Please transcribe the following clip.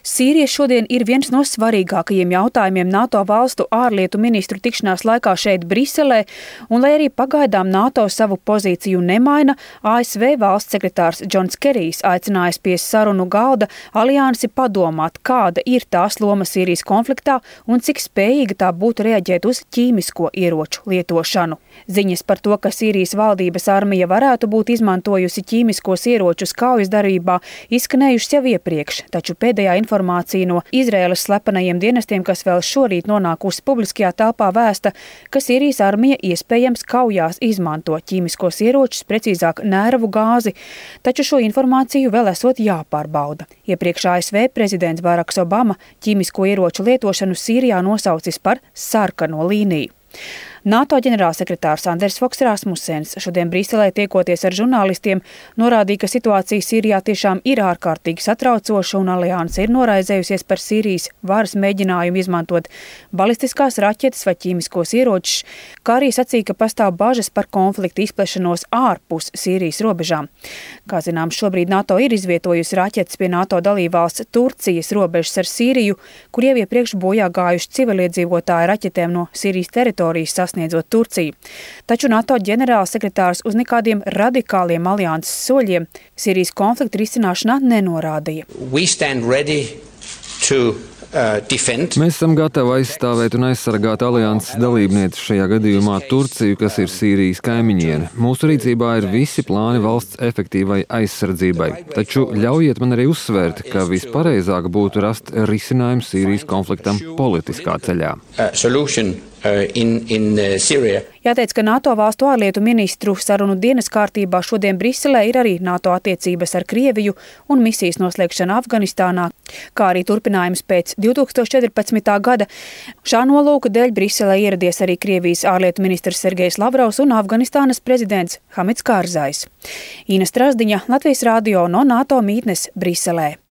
Sīrija šodien ir viens no svarīgākajiem jautājumiem NATO valstu ārlietu ministru tikšanās laikā šeit Briselē, un lai arī pagaidām NATO savu pozīciju nemaina, ASV valsts sekretārs Džons Kerijs aicinājis pie sarunu galda aliansi padomāt, kāda ir tās loma Sīrijas konfliktā un cik spējīga tā būtu reaģēt uz ķīmisko ieroču lietošanu. Ziņas par to, ka Sīrijas valdības armija varētu būt izmantojusi ķīmiskos ieročus kaujas darbībā, izskanējušas jau iepriekš, taču pēdējā informācija no Izraēlas slepenajiem dienestiem, kas vēl šorīt nonākusi publiskajā telpā, vēsta, ka Sīrijas armija iespējams kaujās izmanto ķīmiskos ieročus, precīzāk nēravu gāzi, taču šo informāciju vēl esot jāpārbauda. Iepriekš ASV prezidents Baraks Obama ķīmisko ieroču lietošanu Sīrijā nosaucis par sarkano līniju. NATO ģenerālsekretārs Anders Foks Rasmussens šodien Briselē tiekoties ar žurnālistiem norādīja, ka situācija Sīrijā tiešām ir ārkārtīgi satraucoša un alianse ir noraizējusies par Sīrijas varas mēģinājumu izmantot balistiskās raķetes vai ķīmiskos ieročus, kā arī sacīja, ka pastāv bažas par konfliktu izplešanos ārpus Sīrijas robežām. Kā zināms, šobrīd NATO ir izvietojusi raķetes pie NATO dalībvalsts Turcijas robežas ar Sīriju, kur jau iepriekš bojā gājuši civiliedzīvotāji raķetēm no Sīrijas teritorijas sasniedzot Turciju. Taču NATO ģenerālsekretārs uz nekādiem radikāliem alianses soļiem Sīrijas konflikta risināšanā nenorādīja. Mēs esam gatavi aizstāvēt un aizsargāt alianses dalībnieci, šajā gadījumā Turciju, kas ir Sīrijas kaimiņiene. Mūsu rīcībā ir visi plāni valsts efektīvai aizsardzībai. Taču ļaujiet man arī uzsvērt, ka vispareizāk būtu rast risinājumu Sīrijas konfliktam politiskā ceļā. Jāteic, ka NATO valstu ārlietu ministru sarunu dienas kārtībā šodien Briselē ir arī NATO attiecības ar Krieviju un misijas noslēgšana Afganistānā, kā arī turpinājums pēc 2014. gada. Šā nolūka dēļ Briselē ieradies arī Krievijas ārlietu ministrs Sergejs Lavrovs un Afganistānas prezidents Hamids Kārzais. Ina Strazdiņa, Latvijas radio no NATO mītnes Briselē.